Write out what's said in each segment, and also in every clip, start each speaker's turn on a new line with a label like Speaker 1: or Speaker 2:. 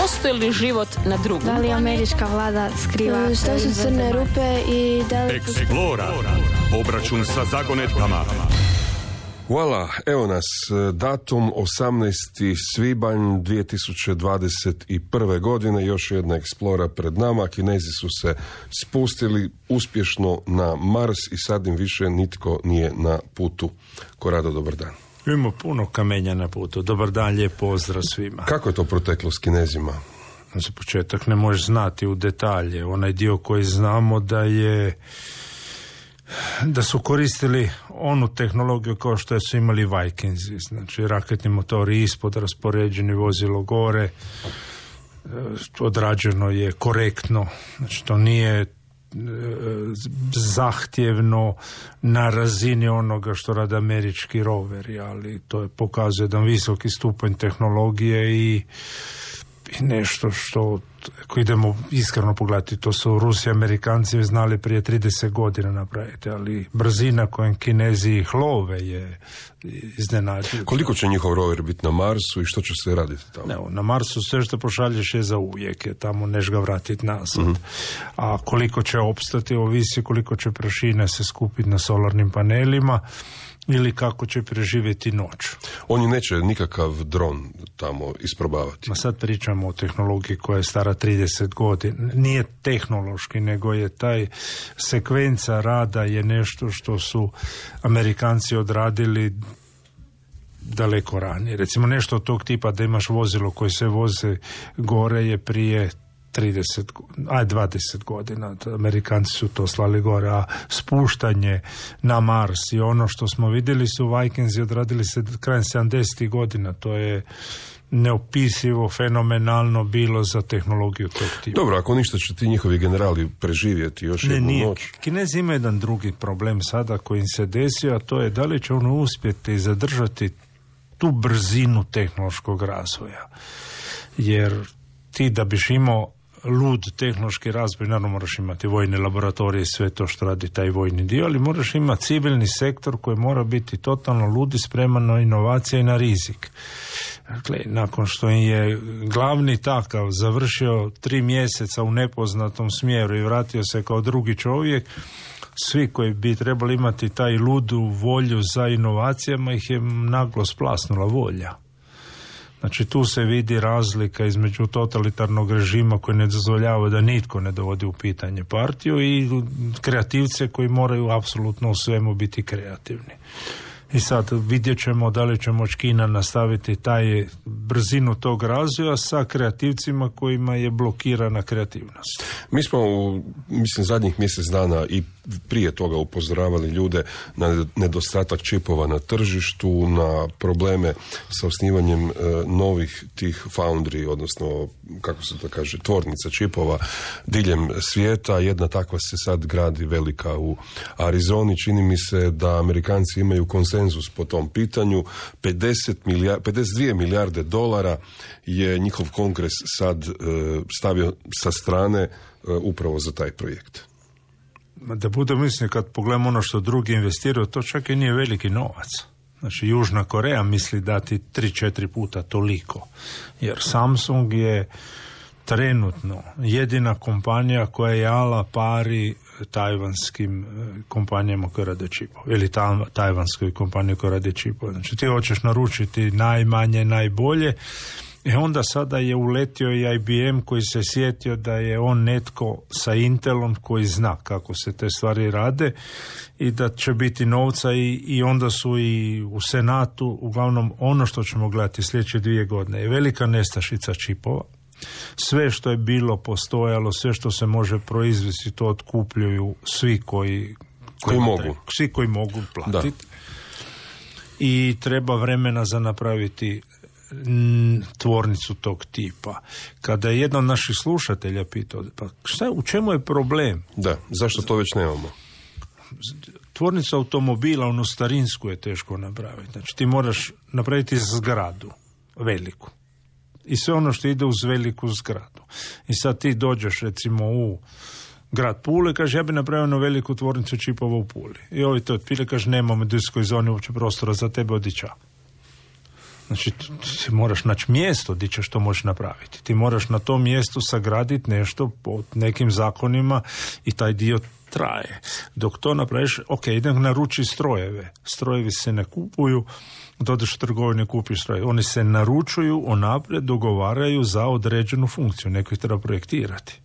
Speaker 1: postoji li život na drugom?
Speaker 2: Da li američka vlada skriva? Što su crne rupe i da li...
Speaker 3: Explora. Obračun sa zagonetkama.
Speaker 4: Hvala, evo nas, datum 18. svibanj 2021. godine, još jedna eksplora pred nama. Kinezi su se spustili uspješno na Mars i sad im više nitko nije na putu. Korado, dobar dan.
Speaker 5: Imamo puno kamenja na putu. Dobar dan, lijep pozdrav svima.
Speaker 4: Kako je to proteklo s Kinezima?
Speaker 5: Za početak ne možeš znati u detalje. Onaj dio koji znamo da su koristili onu tehnologiju kao što su imali Vikingsi, znači raketni motori ispod, raspoređeni vozilo gore, odrađeno je korektno, znači to nije zahtjevno na razini onoga što rade američki roveri, ali to je pokazuje jedan visoki stupanj tehnologije i nešto što, ako idemo iskreno pogledati, to su Rusi i Amerikanci znali prije 30 godina napraviti, ali brzina kojom Kinezi ih love je iznenađujuća.
Speaker 4: Koliko će njihov rover biti na Marsu i što će se raditi tamo?
Speaker 5: Ne, na Marsu sve što pošalješ je za uvijek, je tamo neš ga vratiti nazad. A koliko će opstati, ovisi koliko će prašine se skupiti na solarnim panelima ili kako će preživjeti noć.
Speaker 4: Oni neće nikakav dron tamo isprobavati.
Speaker 5: Ma sad pričamo o tehnologiji koja je stara 30 godina. Nije tehnološki, nego je taj sekvenca rada je nešto što su Amerikanci odradili daleko ranije. Recimo nešto od tog tipa da imaš vozilo koje se voze gore je prije 20 godina. Amerikanci su to slali gore, a spuštanje na Mars i ono što smo vidjeli su Vikingsi odradili se krajem 70. godina. To je neopisivo, fenomenalno bilo za tehnologiju tog tipa.
Speaker 4: Dobro, ako ništa će ti njihovi generali preživjeti još jednu noć.
Speaker 5: Kinezi imaju jedan drugi problem sada koji im se desio, a to je da li će ono uspjeti zadržati tu brzinu tehnološkog razvoja. Jer ti da biš imao lud tehnološki razvoj, naravno moraš imati vojne laboratorije i sve to što radi taj vojni dio, ali moraš imati civilni sektor koji mora biti totalno lud i spreman na inovacije i na rizik. Dakle, nakon što je glavni takav završio 3 mjeseca u nepoznatom smjeru i vratio se kao drugi čovjek, svi koji bi trebali imati taj ludu volju za inovacijama ih je naglo splasnula volja. Znači tu se vidi razlika između totalitarnog režima koji ne dozvoljava da nitko ne dovodi u pitanje partiju i kreativce koji moraju apsolutno u svemu biti kreativni. I sad vidjet ćemo da li će moći Kina nastaviti taj brzinu tog razvoja sa kreativcima kojima je blokirana kreativnost.
Speaker 4: Mi smo zadnjih mjesec dana i prije toga upozoravali ljude na nedostatak čipova na tržištu, na probleme sa osnivanjem novih tih foundry, odnosno kako se to kaže, tvornica čipova diljem svijeta. Jedna takva se sad gradi velika u Arizoni. Čini mi se da Amerikanci imaju konsenzus po tom pitanju. 52 milijarde dolara je njihov kongres sad stavio sa strane upravo za taj projekt.
Speaker 5: Da bude mislim, kad pogledamo ono što drugi investiraju, to čak i nije veliki novac. Znači, Južna Koreja misli dati 3-4 puta toliko. Jer Samsung je trenutno jedina kompanija koja je ala pari tajvanskim kompanijama koje rade čipove. Ili tajvanskoj kompaniji koja rade čipove. Znači, ti hoćeš naručiti najmanje, najbolje. I onda sada je uletio i IBM koji se sjetio da je on netko sa Intelom koji zna kako se te stvari rade i da će biti novca i onda su i u Senatu, uglavnom ono što ćemo gledati sljedeće 2 godine je velika nestašica čipova. Sve što je bilo postojalo, sve što se može proizvesti, to otkupljuju svi koji
Speaker 4: mogu.
Speaker 5: Svi koji mogu platiti. I treba vremena za napraviti tvornicu tog tipa. Kada je jedan od naših slušatelja pitao, pa u čemu je problem?
Speaker 4: Da, zašto to već nemamo?
Speaker 5: Tvornicu automobila, onu starinsku, je teško napraviti. Znači ti moraš napraviti zgradu veliku. I sve ono što ide uz veliku zgradu. I sad ti dođeš recimo u grad Pule, kaže ja bi napravio jednu veliku tvornicu čipova u Puli. I ovi to otpile, kaže nemamo u industrijskoj zoni uopće prostora za tebe, odića. Znači, ti moraš naći mjesto gdje ćeš to moći napraviti. Ti moraš na tom mjestu sagraditi nešto po nekim zakonima i taj dio traje. Dok to napraviš, ok, idem naručiti strojeve. Strojevi se ne kupuju, dodeš u trgovini, kupiš strojeve. Oni se naručuju, unaprijed dogovaraju za određenu funkciju. Neko ih treba projektirati.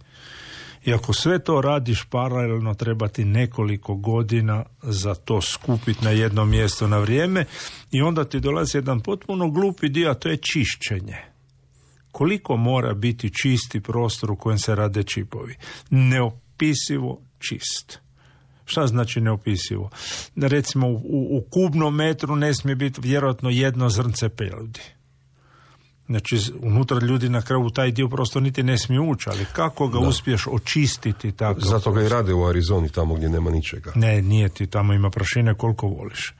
Speaker 5: I ako sve to radiš paralelno, treba ti nekoliko godina za to skupiti na jedno mjesto na vrijeme i onda ti dolazi jedan potpuno glupi dio, a to je čišćenje. Koliko mora biti čisti prostor u kojem se rade čipovi? Neopisivo čist. Šta znači neopisivo? Recimo u kubnom metru ne smije biti vjerojatno jedno zrnce peludi. Znači, unutra ljudi na kraju taj dio prosto niti ne smije ući, ali kako ga uspiješ očistiti tako?
Speaker 4: Zato ga i rade u Arizoni, tamo gdje nema ničega.
Speaker 5: Ne, nije ti, tamo ima prašine koliko voliš.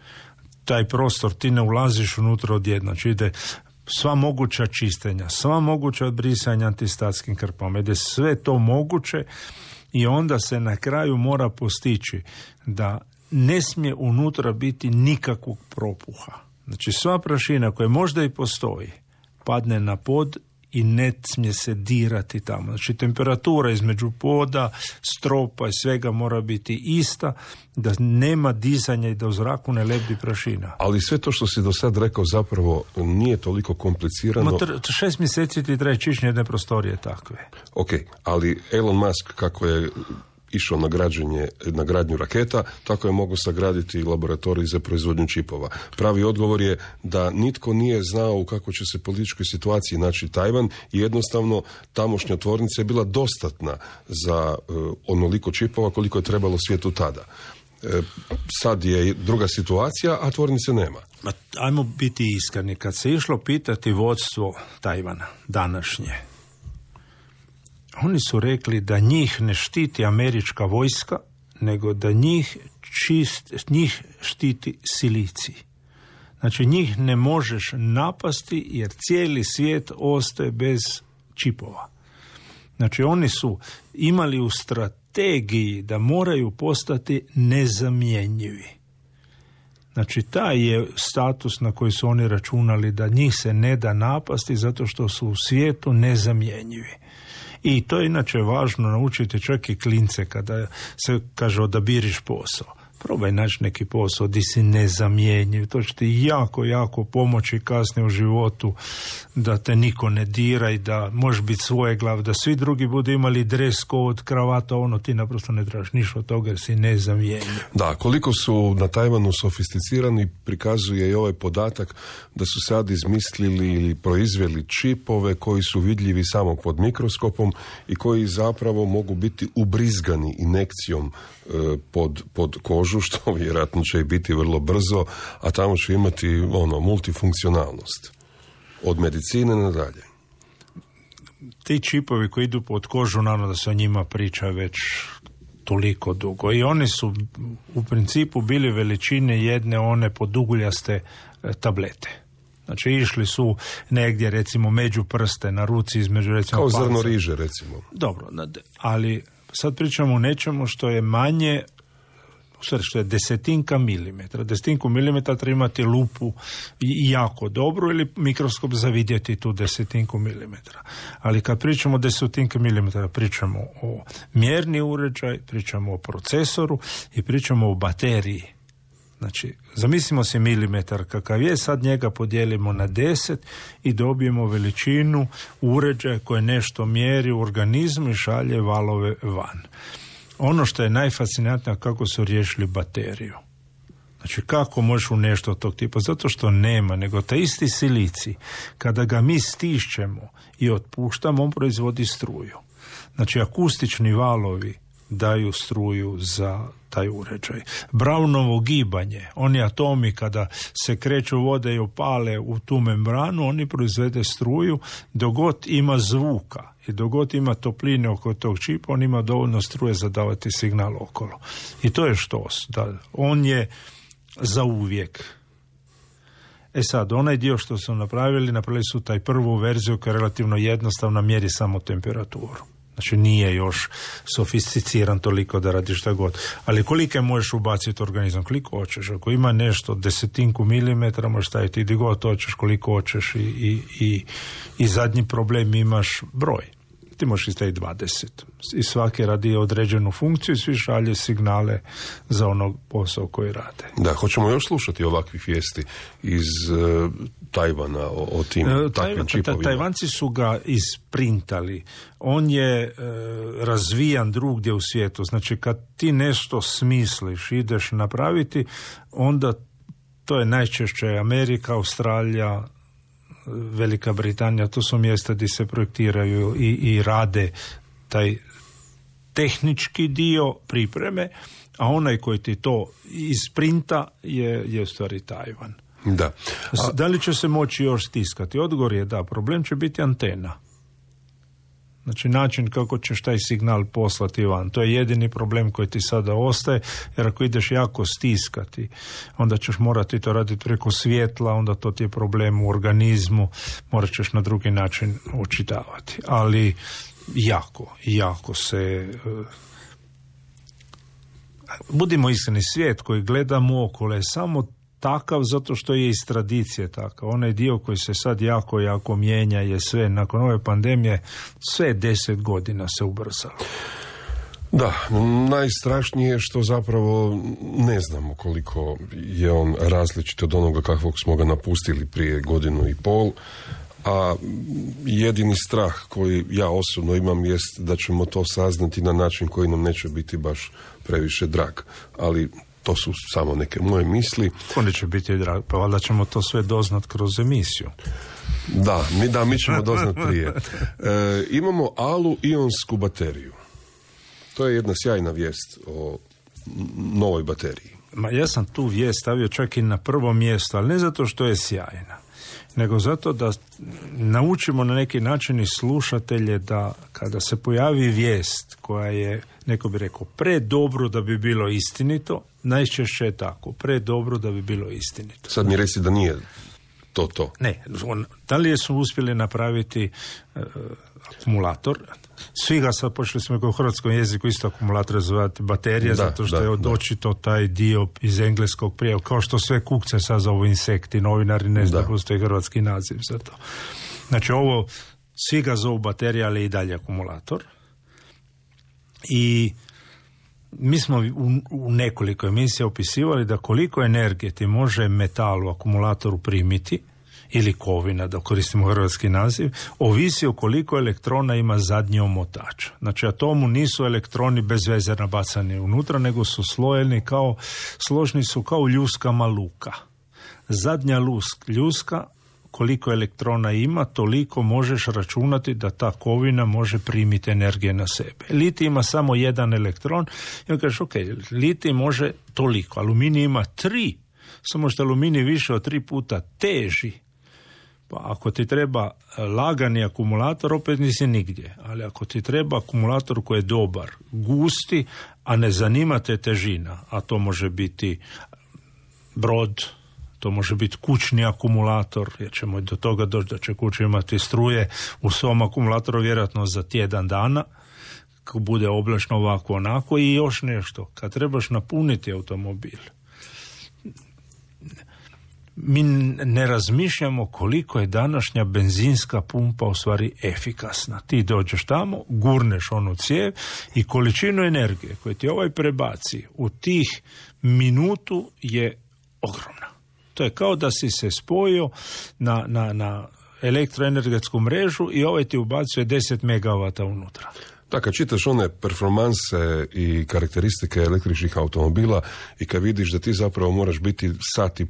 Speaker 5: Taj prostor ti ne ulaziš unutra odjedno, znači ide sva moguća čištenja, sva moguća odbrisanja antistatskim krpama, ide sve to moguće i onda se na kraju mora postići da ne smije unutra biti nikakvog propuha. Znači, sva prašina koja možda i postoji, padne na pod i ne smije se dirati tamo. Znači, temperatura između poda, stropa i svega mora biti ista, da nema dizanja i da u zraku ne lebdi prašina.
Speaker 4: Ali sve to što si do sad rekao zapravo nije toliko komplicirano.
Speaker 5: 6 mjeseci ti traje čišćenje jedne prostorije takve.
Speaker 4: Ok, ali Elon Musk kako je išao na gradnju raketa, tako je mogu sagraditi laboratorij za proizvodnju čipova. Pravi odgovor je da nitko nije znao u kakvoj će se političkoj situaciji naći Tajvan i jednostavno tamošnja tvornica je bila dostatna za onoliko čipova koliko je trebalo svijetu tada. Sad je druga situacija, a tvornice nema.
Speaker 5: Ajmo biti iskreni. Kad se išlo pitati vodstvo Tajvana današnje, oni su rekli da njih ne štiti američka vojska, nego da njih štiti silicij. Znači, njih ne možeš napasti jer cijeli svijet ostaje bez čipova. Znači, oni su imali u strategiji da moraju postati nezamjenjivi. Znači, taj je status na koji su oni računali da njih se ne da napasti zato što su u svijetu nezamjenjivi. I to je inače važno naučiti čak i klince kada se kaže odabiriš posao. Probaj naći neki posao di si nezamjenjiv. To će ti jako, jako pomoći kasnije u životu da te niko ne dira i da možeš biti svojeglav, da svi drugi budu imali dres code, kravata, ono ti naprosto ne trebaš ništa od toga jer si nezamjenjiv.
Speaker 4: Da, koliko su na Tajvanu sofisticirani prikazuje i ovaj podatak da su sad izmislili ili proizveli čipove koji su vidljivi samo pod mikroskopom i koji zapravo mogu biti ubrizgani injekcijom pod kožu, što vjerojatno će i biti vrlo brzo, a tamo će imati multifunkcionalnost. Od medicine nadalje.
Speaker 5: Ti čipovi koji idu pod kožu, naravno da se o njima priča već toliko dugo. I oni su u principu bili veličine jedne one poduguljaste tablete. Znači, išli su negdje, recimo, među prste, na ruci između, recimo,
Speaker 4: kao
Speaker 5: palca.
Speaker 4: Zrno riže, recimo.
Speaker 5: Dobro, ali sad pričamo o nečemu što je manje, što je desetinka milimetra. Desetinku milimetra treba imati lupu jako dobru ili mikroskop za vidjeti tu desetinku milimetra. Ali kad pričamo o desetinka milimetra, pričamo o mjerni uređaj, pričamo o procesoru i pričamo o bateriji. Znači, zamislimo si milimetar kakav je, sad njega podijelimo na 10 i dobijemo veličinu uređaja koje nešto mjeri u organizmu i šalje valove van. Ono što je najfascinantnije kako su riješili bateriju. Znači, kako možeš u nešto od tog tipa? Zato što nema, nego taj isti silicij, kada ga mi stišćemo i otpuštamo, on proizvodi struju. Znači, akustični valovi daju struju za taj uređaj. Brownovo gibanje, oni atomi kada se kreću vode i opale u tu membranu, oni proizvede struju, dogod ima zvuka i dogod ima topline oko tog čipa, on ima dovoljno struje za davati signal okolo. I to je štos, da on za uvijek. Sad, onaj dio što su napravili su taj prvu verziju koja je relativno jednostavna, mjeri samo temperaturu. Znači nije još sofisticiran toliko da radiš šta god. Ali koliko možeš ubaciti u organizam? Koliko hoćeš? Ako ima nešto 10 milimetra, možeš staviti gdje god hoćeš, koliko hoćeš i zadnji problem imaš broj. Ti možeš staviti 20. I svaki radi određenu funkciju i svi šalje signale za onog posao koji rade.
Speaker 4: Da, hoćemo još slušati ovakvih vijesti iz Tajvana o tim takvim čipovima.
Speaker 5: Tajvanci su ga isprintali. On je razvijan drugdje u svijetu. Znači kad ti nešto smisliš, ideš napraviti, onda to je najčešće Amerika, Australija, Velika Britanija, to su mjesta gdje se projektiraju i rade taj tehnički dio pripreme, a onaj koji ti to isprinta je u stvari Tajvan.
Speaker 4: Da.
Speaker 5: Da li će se moći još stiskati? Odgovor je da, problem će biti antena. Znači način kako ćeš taj signal poslati van. To je jedini problem koji ti sada ostaje, jer ako ideš jako stiskati, onda ćeš morati to raditi preko svjetla, onda to ti je problem u organizmu, morat ćeš na drugi način očitavati. Ali jako se... Budimo iskreni, svijet koji gledamo okolo je samo takav zato što je iz tradicije takav. Onaj dio koji se sad jako mijenja je sve, nakon ove pandemije, sve 10 godina se ubrzalo.
Speaker 4: Da, najstrašnije je što zapravo ne znamo koliko je on različit od onoga kakvog smo ga napustili prije 1.5 godina, a jedini strah koji ja osobno imam jest da ćemo to saznati na način koji nam neće biti baš previše drag, ali to su samo neke moje misli.
Speaker 5: Oni će biti drag, pa valjda ćemo to sve doznat kroz emisiju.
Speaker 4: Da, mi ćemo doznat prije. Imamo alu-ionsku bateriju. To je jedna sjajna vijest o novoj bateriji.
Speaker 5: Ja sam tu vijest stavio čak i na prvo mjesto, ali ne zato što je sjajna, nego zato da naučimo na neki način i slušatelje da kada se pojavi vijest koja je, neko bi rekao, predobro da bi bilo istinito, najčešće je tako, predobro da bi bilo istinito.
Speaker 4: Sad mi reci da nije to.
Speaker 5: Ne, da li su uspjeli napraviti akumulator? Svi ga sad počeli smo u hrvatskom jeziku isto akumulator zvati baterija, zato što je očito taj dio iz engleskog prije, kao što sve kukce sad zovu insekti, novinari ne znaju, postoji hrvatski naziv za to. Znači ovo, svi ga zovu baterija, ali i dalje akumulator. I mi smo u nekoliko emisija opisivali da koliko energije ti može metal u akumulatoru primiti, ili kovina, da koristimo hrvatski naziv, ovisi o koliko elektrona ima zadnji omotač. Znači, atomu nisu elektroni bez veze nabacani unutra, nego su složni su kao ljuskama luka. Zadnja ljuska, koliko elektrona ima, toliko možeš računati da ta kovina može primiti energije na sebe. Litij ima samo jedan elektron i on kažeš, ok, litij može toliko, aluminij ima 3, samo što aluminij više od 3 puta teži. Pa ako ti treba lagani akumulator, opet nisi nigdje. Ali ako ti treba akumulator koji je dobar, gusti, a ne zanima te težina, a to može biti brod, to može biti kućni akumulator, jer ćemo do toga doći da će kuća imati struje u svom akumulatoru vjerojatno za tjedan dana, kako bude oblačno ovako onako, i još nešto, kad trebaš napuniti automobil. Mi ne razmišljamo koliko je današnja benzinska pumpa u stvari efikasna. Ti dođeš tamo, gurneš onu cijev i količinu energije koju ti ovaj prebaci u tih minutu je ogromna. To je kao da si se spojio na elektroenergetsku mrežu i ovaj ti ubacuje 10 megavata unutra.
Speaker 4: Da, kad čitaš one performanse i karakteristike električnih automobila i kad vidiš da ti zapravo moraš biti 1,5 sata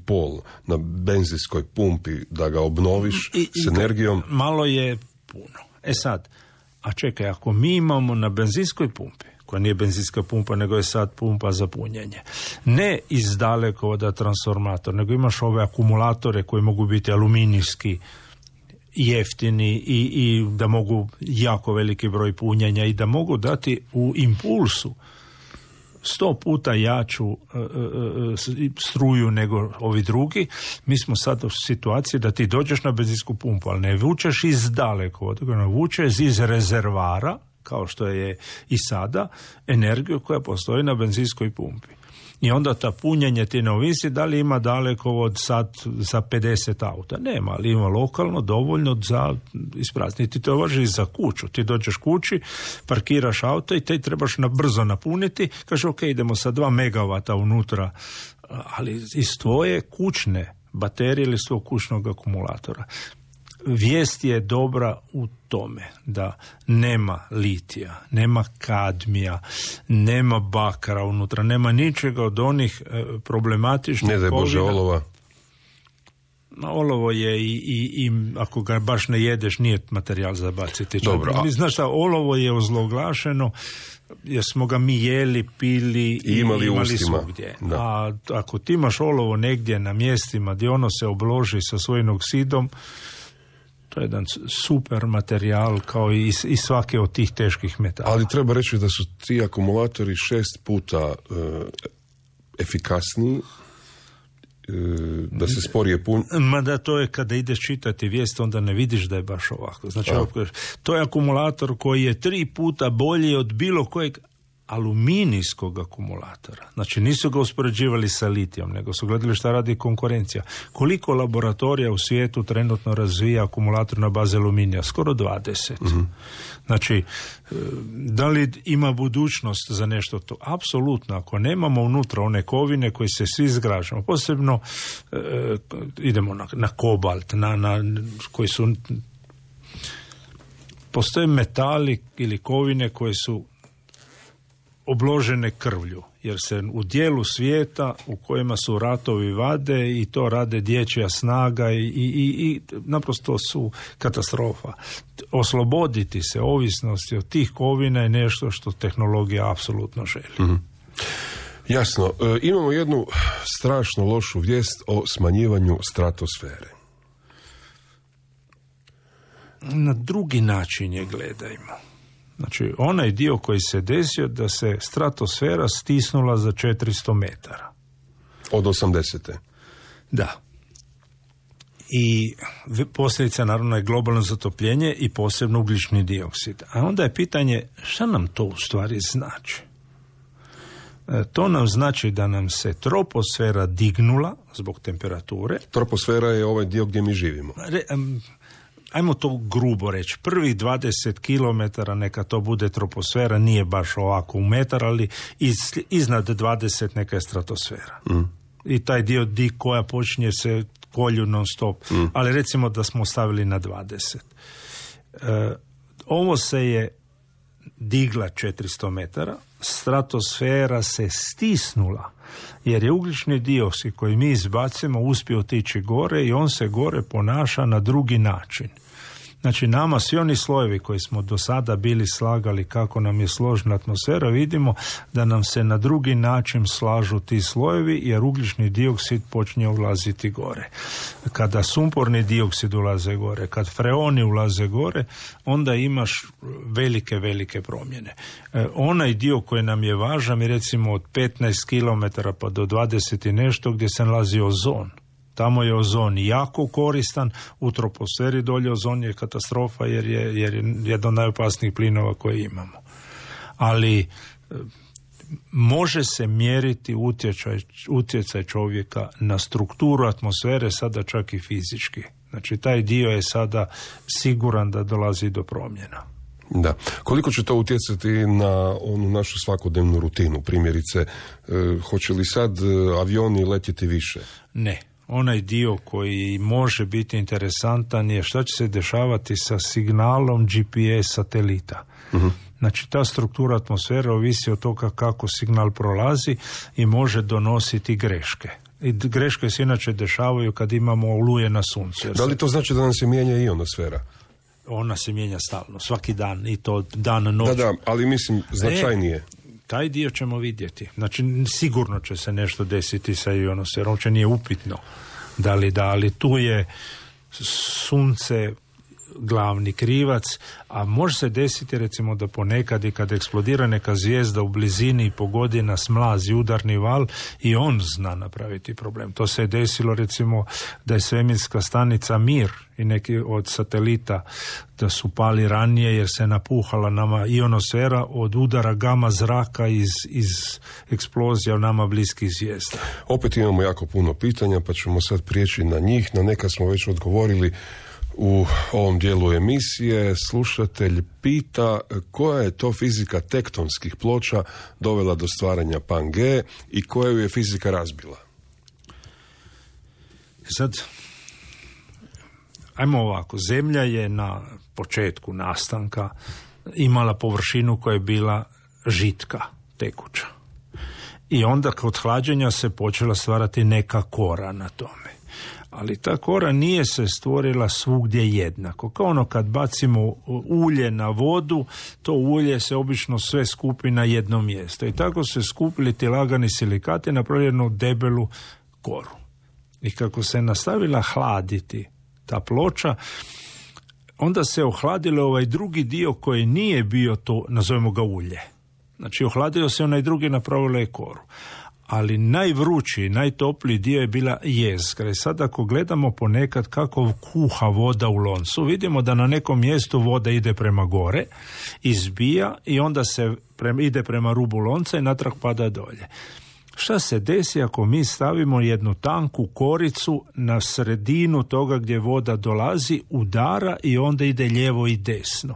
Speaker 4: na benzinskoj pumpi da ga obnoviš s energijom.
Speaker 5: Malo je puno. Sad, a čekaj, ako mi imamo na benzinskoj pumpi, koja nije benzinska pumpa, nego je sad pumpa za punjenje, ne iz dalekovoda transformator, nego imaš ove akumulatore koji mogu biti aluminijski, jeftini i da mogu jako veliki broj punjenja i da mogu dati u impulsu 100 puta jaču struju nego ovi drugi. Mi smo sad u situaciji da ti dođeš na benzinsku pumpu, ali ne vučeš iz dalekovoda, nego vučeš iz rezervara kao što je i sada, energiju koja postoji na benzinskoj pumpi. I onda ta punjenje ti ne ovisi da li ima dalekovod sad za 50 auta. Nema, ali ima lokalno dovoljno za isprazniti. To važi i za kuću. Ti dođeš kući, parkiraš auto i te trebaš brzo napuniti. Kaže, ok, idemo sa 2 megavata unutra, ali iz tvoje kućne baterije ili iz tvojeg kućnog akumulatora. Vijest je dobra u tome da nema litija, nema kadmija, nema bakra unutra, nema ničega od onih problematičnih kovina. Ne daj Bože olova. Olovo je i ako ga baš ne jedeš nije materijal za baciti. Dobro. Znaš šta, olovo je ozloglašeno jer smo ga mi jeli, pili i imali svugdje. Da. A ako ti imaš olovo negdje na mjestima gdje ono se obloži sa svojim oksidom, to je jedan super materijal kao i svake od tih teških metala. Ali treba reći da su ti akumulatori 6 puta efikasniji, da se sporije pun. Ma da, to je kada ideš čitati vijest, onda ne vidiš da je baš ovako. Znači, to je akumulator koji je 3 puta bolji od bilo kojeg aluminijskog akumulatora. Znači nisu ga uspoređivali sa litijom, nego su gledali šta radi konkurencija. Koliko laboratorija u svijetu trenutno razvija akumulator na bazi aluminija? Skoro 20. Mm-hmm. Znači, da li ima budućnost za nešto to? Apsolutno. Ako nemamo unutra one kovine koji se svi zgražamo, posebno idemo na kobalt, na koji su postoje metali ili kovine koje su obložene krvlju, jer se u dijelu svijeta u kojima su ratovi vade i to rade dječja snaga i naprosto su katastrofa. Osloboditi se ovisnosti od tih kovina je nešto što tehnologija apsolutno želi. Mm-hmm. Jasno. Imamo jednu strašno lošu vijest o smanjivanju stratosfere. Na drugi način je gledajmo. Znači, onaj dio koji se desio da se stratosfera stisnula za 400 metara. Od 80. Da. I posljedica naravno je globalno zatopljenje i posebno ugljični dioksid. A onda je pitanje šta nam to u stvari znači? To nam znači da nam se troposfera dignula zbog temperature. Troposfera je ovaj dio gdje mi živimo. Ajmo to grubo reći, prvih 20 km neka to bude troposfera, nije baš ovako u metar, ali iznad 20 neka je stratosfera. Mm. I taj dio koja počinje se kolju non stop, ali recimo da smo stavili na 20. Ovo se je digla 400 metara, stratosfera se stisnula, jer je ugljični dioksid koji mi izbacimo uspio otići gore i on se gore ponaša na drugi način. Znači nama svi oni slojevi koji smo do sada bili slagali kako nam je složena atmosfera, vidimo da nam se na drugi način slažu ti slojevi jer ugljični dioksid počinje ulaziti gore. Kada sumporni dioksid ulaze gore, kad freoni ulaze gore, onda imaš velike promjene. Onaj dio koji nam je važan je recimo od 15 km pa do 20 i nešto gdje se nalazi ozon. Tamo je ozon jako koristan, u troposferi dolje ozon je katastrofa jer je jedan od najopasnijih plinova koje imamo. Ali može se mjeriti utjecaj čovjeka na strukturu atmosfere, sada čak i fizički. Znači taj dio je sada siguran da dolazi do promjena. Da. Koliko će to utjecati na onu našu svakodnevnu rutinu? Primjerice, hoće li sad avioni letjeti više? Ne. Onaj dio koji može biti interesantan je šta će se dešavati sa signalom GPS satelita. Uh-huh. Znači ta struktura atmosfere ovisi od toga kako signal prolazi i može donositi greške. I greške se inače dešavaju kad imamo oluje na suncu. Da li to znači da nam se mijenja ionosfera? Ona se mijenja stalno, svaki dan i to dan noć. Da, ali mislim značajnije. Taj dio ćemo vidjeti. Znači, sigurno će se nešto desiti sa ionosferom, uopće nije upitno ali tu je sunce glavni krivac, a može se desiti recimo da ponekad i kad eksplodira neka zvijezda u blizini i pogodi nas mlaz i udarni val i on zna napraviti problem. To se je desilo recimo da je svemirska stanica Mir i neki od satelita da su pali ranije jer se napuhala nama ionosfera od udara gama zraka iz eksplozija nama bliskih zvijezda.
Speaker 4: Opet imamo jako puno pitanja, pa ćemo sad prijeći na njih. Na neka smo već odgovorili u ovom dijelu emisije. Slušatelj pita koja je to fizika tektonskih ploča dovela do stvaranja Pangae i koja ju je fizika razbila?
Speaker 5: Sad, ajmo ovako, Zemlja je na početku nastanka imala površinu koja je bila žitka, tekuća. I onda kod hlađenja se počela stvarati neka kora na tome. Ali ta kora nije se stvorila svugdje jednako. Kao ono kad bacimo ulje na vodu, to ulje se obično sve skupi na jedno mjesto. I tako se skupili ti lagani silikati na jednu debelu koru. I kako se nastavila hladiti ta ploča, onda se ohladilo ovaj drugi dio koji nije bio to, nazovemo ga ulje. Znači ohladio se onaj drugi, napravilo je koru. Ali najvrući, najtopliji dio je bila jezgra. I sad ako gledamo ponekad kako kuha voda u loncu, vidimo da na nekom mjestu voda ide prema gore, izbija i onda se ide prema rubu lonca i natrag pada dolje. Šta se desi ako mi stavimo jednu tanku koricu na sredinu toga gdje voda dolazi, udara i onda ide lijevo i desno?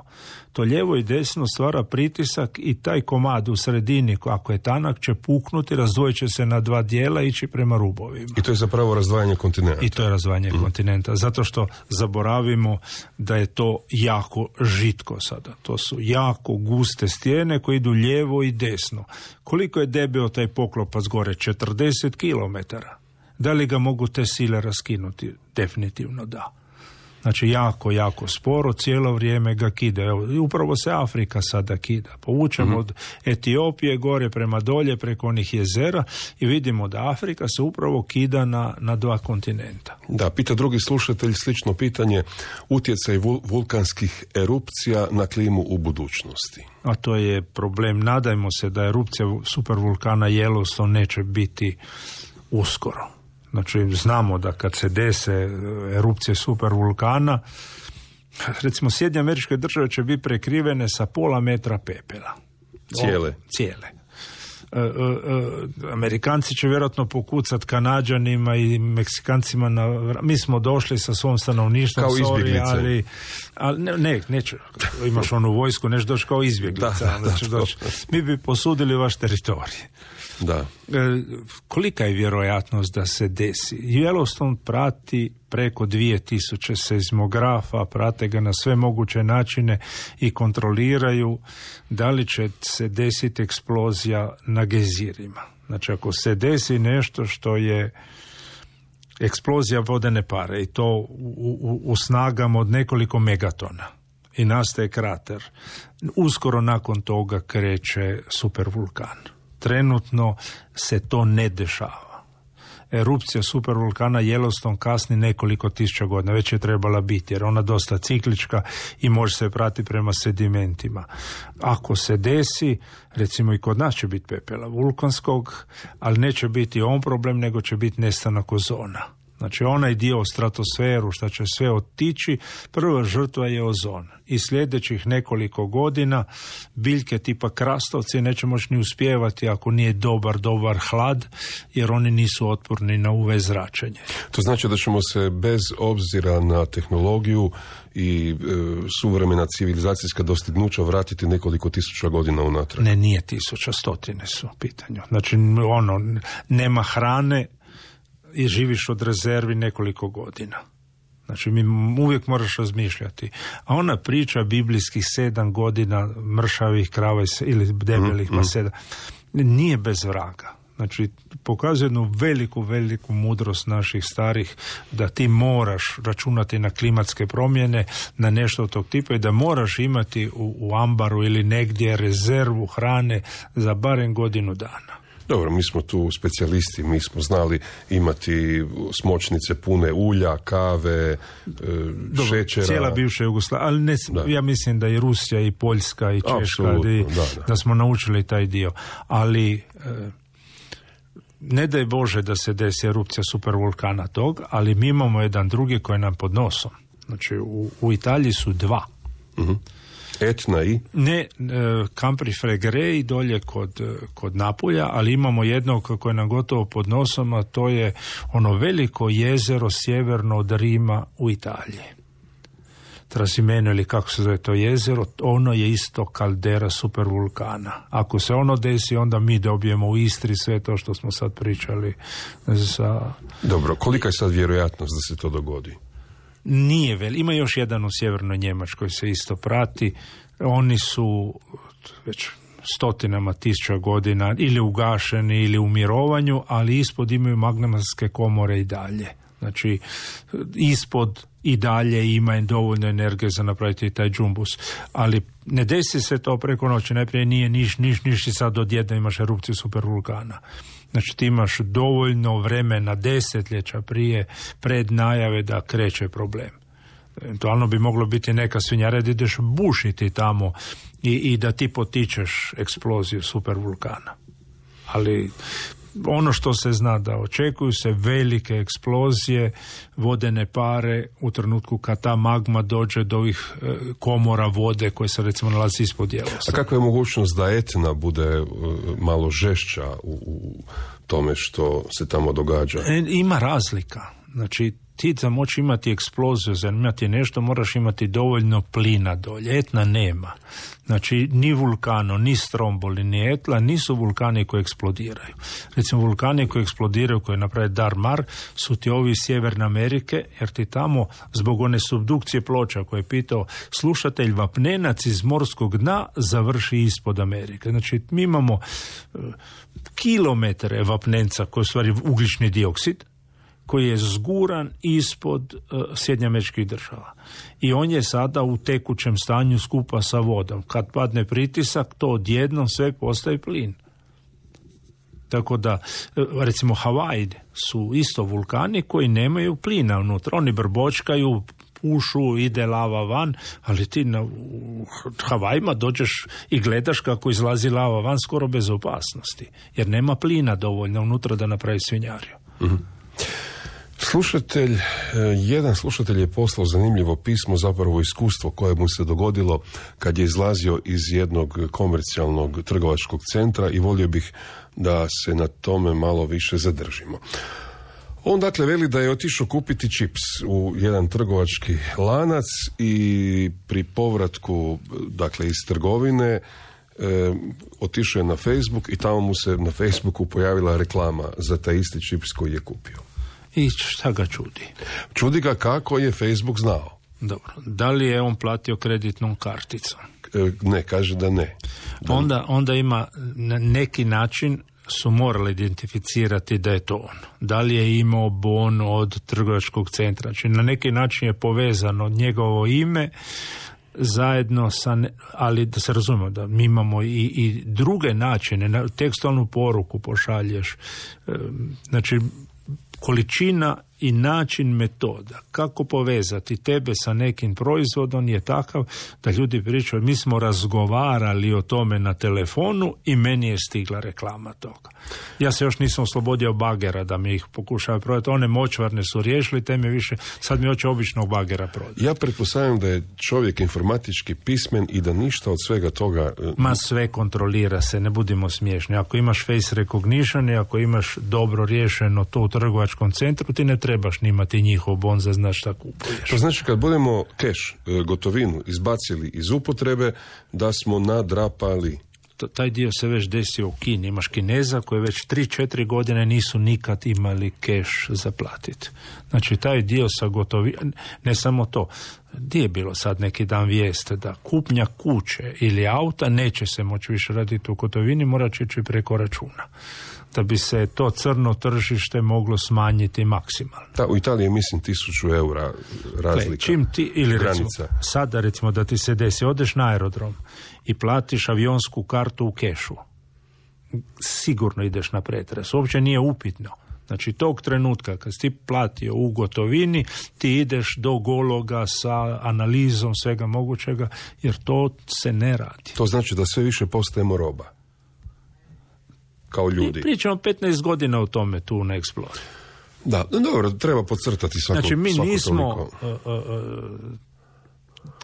Speaker 5: To lijevo i desno stvara pritisak i taj komad u sredini, ako je tanak, će puknuti, razdvojit će se na dva dijela i ići prema rubovima.
Speaker 4: I to je zapravo razdvajanje kontinenta.
Speaker 5: I to je razdvajanje kontinenta, zato što zaboravimo da je to jako žitko sada. To su jako guste stijene koje idu lijevo i desno. Koliko je debeo taj poklopac gore? 40 kilometara. Da li ga mogu te sile raskinuti? Definitivno da. Znači jako sporo, cijelo vrijeme ga kida. Evo, upravo se Afrika sada kida. Povučemo od Etiopije gore prema dolje preko onih jezera i vidimo da Afrika se upravo kida na dva kontinenta.
Speaker 4: Da, pita drugi slušatelj slično pitanje, utjecaj vulkanskih erupcija na klimu u budućnosti.
Speaker 5: A to je problem. Nadajmo se da erupcija supervulkana Yellowstone neće biti uskoro. Znači, znamo da kad se dese erupcije supervulkana, recimo Sjedinjene Američke Države će biti prekrivene sa pola metra pepela. Cijele. Amerikanci će vjerojatno pokucati Kanađanima i Meksikancima mi smo došli sa svom stanovništvom,
Speaker 4: kao izbjeglice.
Speaker 5: ali neće. Imaš onu vojsku, neš doći kao izbjeglica. Mi bi posudili vaš teritorij.
Speaker 4: Da.
Speaker 5: Kolika je vjerojatnost da se desi? Yellowstone prati preko 2000 seizmografa, prate ga na sve moguće načine i kontroliraju da li će se desiti eksplozija na gejzirima. Znači ako se desi nešto što je eksplozija vodene pare i to u snagama od nekoliko megatona i nastaje krater, uskoro nakon toga kreće supervulkan. Trenutno se to ne dešava. Erupcija supervulkana Yellowstone kasni nekoliko tisuća godina, već je trebala biti, jer ona dosta ciklička i može se pratiti prema sedimentima. Ako se desi, recimo i kod nas će biti pepela vulkanskog, ali neće biti on problem, nego će biti nestanak ozona. Znači onaj dio stratosferu što će sve otići, prva žrtva je ozon. I sljedećih nekoliko godina biljke tipa krastovci neće moći ni uspijevati ako nije dobar hlad, jer oni nisu otporni na UV zračenje.
Speaker 4: To znači da ćemo se bez obzira na tehnologiju i suvremena civilizacijska dostignuća vratiti nekoliko tisuća godina unatrag.
Speaker 5: Ne, nije tisuća, stotine su u pitanju. Znači nema hrane i živiš od rezervi nekoliko godina. Znači, uvijek moraš razmišljati. A ona priča biblijskih 7 godina mršavih krava ili debelih paseda nije bez vraga. Znači, pokazuje jednu veliku mudrost naših starih da ti moraš računati na klimatske promjene, na nešto od tog tipa i da moraš imati u ambaru ili negdje rezervu hrane za barem godinu dana.
Speaker 4: Dobro, mi smo tu specijalisti, mi smo znali imati smočnice pune ulja, kave, šećera.
Speaker 5: Cijela bivša Jugoslavija, ali ja mislim da i Rusija i Poljska i Češka, da smo naučili taj dio. Ali ne daj Bože da se desi erupcija supervulkana tog, ali mi imamo jedan drugi koji je nam pod nosom. Znači, u Italiji su dva.
Speaker 4: Uh-huh. Etna i?
Speaker 5: Ne, Campifregre dolje kod Napulja, ali imamo jednog koje je nam gotovo pod nosom, a to je ono veliko jezero sjeverno od Rima u Italiji. Trasimeno ili kako se zove to jezero, ono je isto kaldera supervulkana. Ako se ono desi, onda mi dobijemo u Istri sve to što smo sad pričali za...
Speaker 4: Dobro, kolika je sad vjerojatnost da se to dogodi?
Speaker 5: Nije ima još jedan u sjevernoj Njemačkoj se isto prati. Oni su već stotinama tisuća godina ili ugašeni ili u mirovanju, ali ispod imaju magmatske komore i dalje. Znači, ispod i dalje ima dovoljno energije za napraviti taj džumbus. Ali ne desi se to preko noći. Najprije nije niš i sad odjedno imaš erupciju supervulkana. Znači ti imaš dovoljno vremena, desetljeća pred najave da kreće problem. Eventualno bi moglo biti neka svinjara da ideš bušiti tamo i da ti potičeš eksploziju supervulkana. Ali ono što se zna da očekuju se velike eksplozije, vodene pare u trenutku kad ta magma dođe do ovih komora vode koje se recimo nalazi ispod Jelosa.
Speaker 4: A kakva je mogućnost da Etna bude malo žešća u tome što se tamo događa?
Speaker 5: Ima razlika. Znači ti za moći imati eksploziju, za imati nešto, moraš imati dovoljno plina dolje. Etna nema. Znači, ni vulkano, ni Stromboli, ni Etla nisu vulkani koji eksplodiraju. Recimo, vulkani koji eksplodiraju, koji naprave Dar-Mar, su ti ovi iz Sjeverne Amerike, jer ti tamo, zbog one subdukcije ploča koje je pitao slušatelj, vapnenac iz morskog dna završi ispod Amerike. Znači, mi imamo kilometre vapnenca koji je u stvari ugljični dioksid, koji je zguran ispod Sjedinjenih Američkih Država. I on je sada u tekućem stanju skupa sa vodom. Kad padne pritisak, to odjednom sve postaje plin. Tako da, recimo, Havaji su isto vulkani koji nemaju plina unutra. Oni brbočkaju, pušu, ide lava van, ali ti u Havajima dođeš i gledaš kako izlazi lava van skoro bez opasnosti. Jer nema plina dovoljno unutra da napravi svinjariju.
Speaker 4: Mm-hmm. Jedan slušatelj je poslao zanimljivo pismo, zapravo iskustvo koje mu se dogodilo kad je izlazio iz jednog komercijalnog trgovačkog centra i volio bih da se na tome malo više zadržimo. On dakle veli da je otišao kupiti čips u jedan trgovački lanac i pri povratku dakle iz trgovine otišao je na Facebook i tamo mu se na Facebooku pojavila reklama za taj isti čips koji je kupio.
Speaker 5: I šta ga čudi?
Speaker 4: Čudi ga kako je Facebook znao.
Speaker 5: Dobro. Da li je on platio kreditnom karticom?
Speaker 4: Ne, kaže da ne.
Speaker 5: Onda ima na neki način su morali identificirati da je to on. Da li je imao bon od trgovačkog centra? Znači na neki način je povezano njegovo ime zajedno sa, ali da se razumemo da mi imamo i druge načine, tekstualnu poruku pošalješ, znači količina i način metoda kako povezati tebe sa nekim proizvodom je takav da ljudi pričaju, mi smo razgovarali o tome na telefonu i meni je stigla reklama toga. Ja se još nisam oslobodio bagera da mi ih pokušaju prodati. One močvarne su riješili, teme više, sad mi hoće običnog bagera prodati.
Speaker 4: Ja pretpostavljam da je čovjek informatički pismen i da ništa od svega toga...
Speaker 5: Ma sve kontrolira se, ne budimo smiješni. Ako imaš face recognition i ako imaš dobro riješeno to u trgovačkom centru, ti ne trebaš ni imati njihov bon za znaš šta kupuješ.
Speaker 4: To znači kad budemo keš, gotovinu, izbacili iz upotrebe, da smo nadrapali.
Speaker 5: Taj dio se već desio u Kini. Imaš Kineza koji već 3-4 godine nisu nikad imali keš za platiti. Znači taj dio sa gotovinom, ne samo to, gdje je bilo sad neki dan vijeste da kupnja kuće ili auta neće se moći više raditi u gotovini, mora će ići preko računa. Da bi se to crno tržište moglo smanjiti maksimalno.
Speaker 4: Da, u Italiji je mislim 1000 eura razlika.
Speaker 5: Čim ti, ili recimo, sada recimo da ti se desi, odeš na aerodrom i platiš avionsku kartu u kešu. sigurno ideš na pretres. Uopće nije upitno. Znači, tog trenutka kad si ti platio u gotovini, ti ideš do gologa sa analizom svega mogućega, jer to se ne radi.
Speaker 4: To znači da sve više postajemo roba. Kao ljudi.
Speaker 5: I pričamo 15 godina o tome tu na Explorer.
Speaker 4: Da, dobro, treba podcrtati svako.
Speaker 5: Znači, mi nismo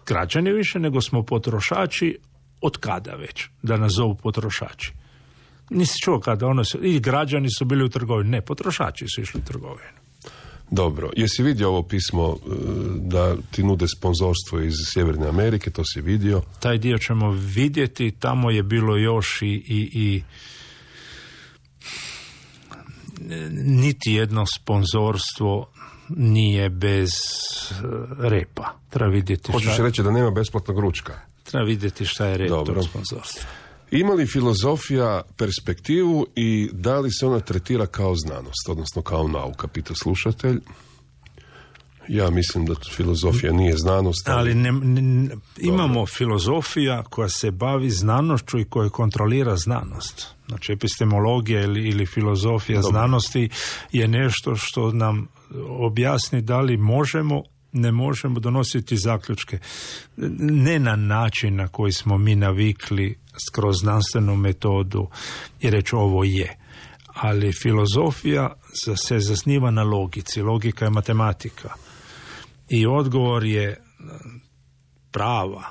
Speaker 5: građani više, nego smo potrošači od kada već, da nas zovu potrošači. Nisi čuo kada i građani su bili u trgovini. Ne, potrošači su išli u trgovinu.
Speaker 4: Dobro, jesi vidio ovo pismo da ti nude sponzorstvo iz Sjeverne Amerike, to si vidio?
Speaker 5: Taj dio ćemo vidjeti, tamo je bilo još i niti jedno sponzorstvo nije bez repa. Treba vidjeti.
Speaker 4: Hoćeš reći da nema besplatnog ručka?
Speaker 5: Treba vidjeti šta je rep tog sponzorstva.
Speaker 4: Ima li filozofija perspektivu i da li se ona tretira kao znanost, odnosno kao nauka, pita slušatelj. Ja mislim da filozofija nije znanost.
Speaker 5: Ali imamo filozofija koja se bavi znanošću i koja kontrolira znanost. Znači, epistemologija ili filozofija znanosti je nešto što nam objasni da li ne možemo donositi zaključke. Ne na način na koji smo mi navikli kroz znanstvenu metodu i reći ovo je. Ali filozofija se zasniva na logici. Logika je matematika. I odgovor je prava.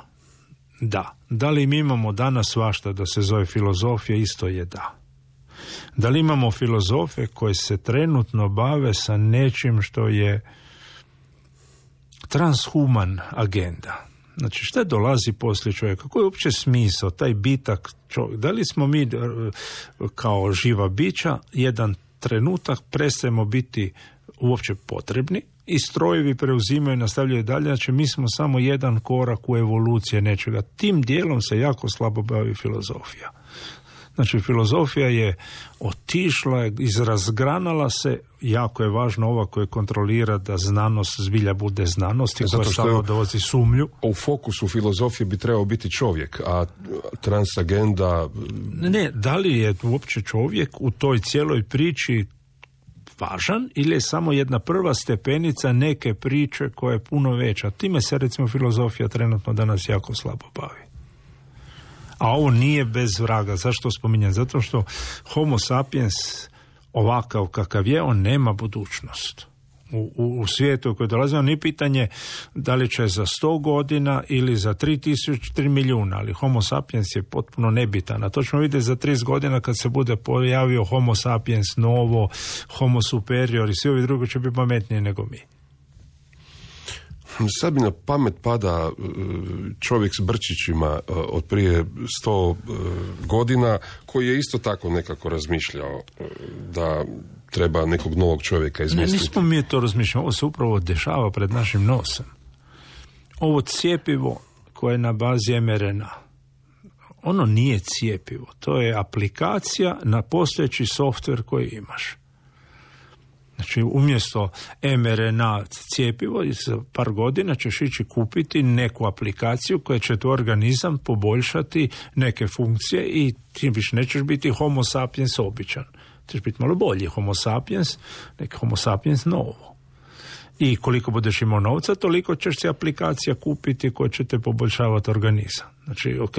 Speaker 5: Da. Da li mi imamo danas svašta da se zove filozofija? Isto je da. Da li imamo filozofe koje se trenutno bave sa nečim što je transhuman agenda? Znači, šta dolazi poslije čovjeka? Koji je uopće smisao, taj bitak čovjek? Da li smo mi kao živa bića jedan trenutak prestajemo biti uopće potrebni i strojevi preuzimaju i nastavljaju dalje? Znači, mi smo samo jedan korak u evoluciji nečega. Tim dijelom se jako slabo bavi filozofija. Znači, filozofija je otišla, izrazgranala se, jako je važno ova koja kontrolira da znanost zbilja bude znanost i koja samo dovozi sumnju.
Speaker 4: U fokusu filozofije bi trebao biti čovjek, a transagenda...
Speaker 5: Ne, da li je uopće čovjek u toj cijeloj priči važan ili je samo jedna prva stepenica neke priče koja je puno veća. Time se, recimo, filozofija trenutno danas jako slabo bavi. A ovo nije bez vraga. Zašto spominjem? Zato što Homo sapiens ovakav kakav je, on nema budućnost. U svijetu koji dolazi, on nije pitanje da li će za 100 godina ili za 3 milijuna, ali Homo sapiens je potpuno nebitan. A to ćemo vidjeti za 30 godina kad se bude pojavio Homo sapiens novo, Homo superior i svi ovi drugi će biti pametniji nego mi.
Speaker 4: Sad mi na pamet pada čovjek s brčićima od prije 100 godina koji je isto tako nekako razmišljao da treba nekog novog čovjeka izmisliti.
Speaker 5: Ne, nismo mi to razmišljali, ovo se upravo dešava pred našim nosem. Ovo cjepivo koje je na bazi mRNA, ono nije cjepivo, to je aplikacija na postojeći softver koji imaš. Znači, umjesto mRNA cjepivo, za par godina ćeš ići kupiti neku aplikaciju koja će tu organizam poboljšati neke funkcije i ti više nećeš biti Homo sapiens običan. Ćeš biti malo bolji Homo sapiens, neki Homo sapiens novo. I koliko budeš imao novca, toliko ćeš si aplikacija kupiti koja će te poboljšavati organizam. Znači, ok,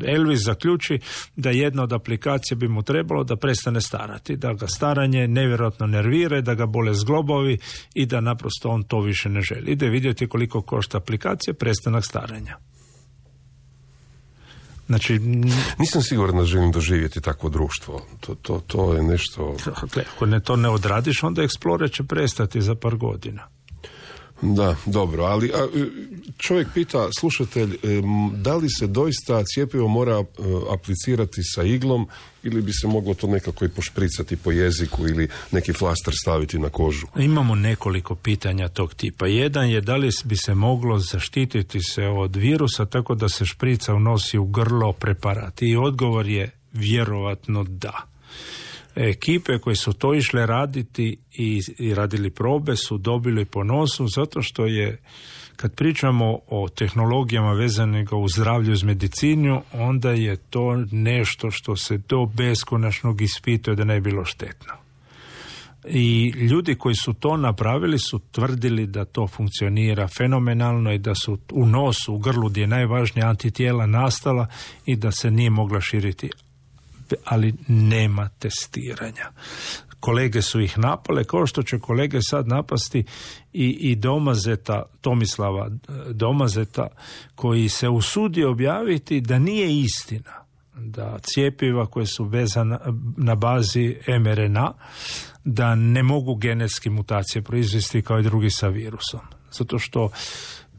Speaker 5: Elvis zaključi da jedna od aplikacija bi mu trebalo da prestane starati, da ga staranje nevjerojatno nervira, da ga bole zglobovi i da naprosto on to više ne želi. Ide vidjeti koliko košta aplikacija prestanak staranja. Znači,
Speaker 4: nisam siguran da želim doživjeti takvo društvo. To je nešto...
Speaker 5: Dakle, ako to ne odradiš, onda Explorer će prestati za par godina.
Speaker 4: Da, dobro, ali čovjek pita, slušatelj, da li se doista cjepivo mora aplicirati sa iglom ili bi se moglo to nekako i pošpricati po jeziku ili neki flaster staviti na kožu?
Speaker 5: Imamo nekoliko pitanja tog tipa. Jedan je da li bi se moglo zaštititi se od virusa tako da se šprica unosi u grlo preparat. I odgovor je vjerovatno da. Ekipe koje su to išle raditi i radili probe su dobili po nosu zato što je Kad pričamo o tehnologijama vezanih u zdravlju uz medicinu, onda je to nešto što se do beskonačnog ispituje da ne bi bilo štetno. I ljudi koji su to napravili su tvrdili da to funkcionira fenomenalno i da su u nosu, u grlu gdje je najvažnija antitijela nastala i da se nije mogla širiti. Ali nema testiranja. Kolege su ih napale, kao što će kolege sad napasti i Domazeta, Tomislava Domazeta, koji se usudio objaviti da nije istina da cjepiva koje su vezana na bazi mRNA, da ne mogu genetske mutacije proizvesti kao i drugi sa virusom. Zato što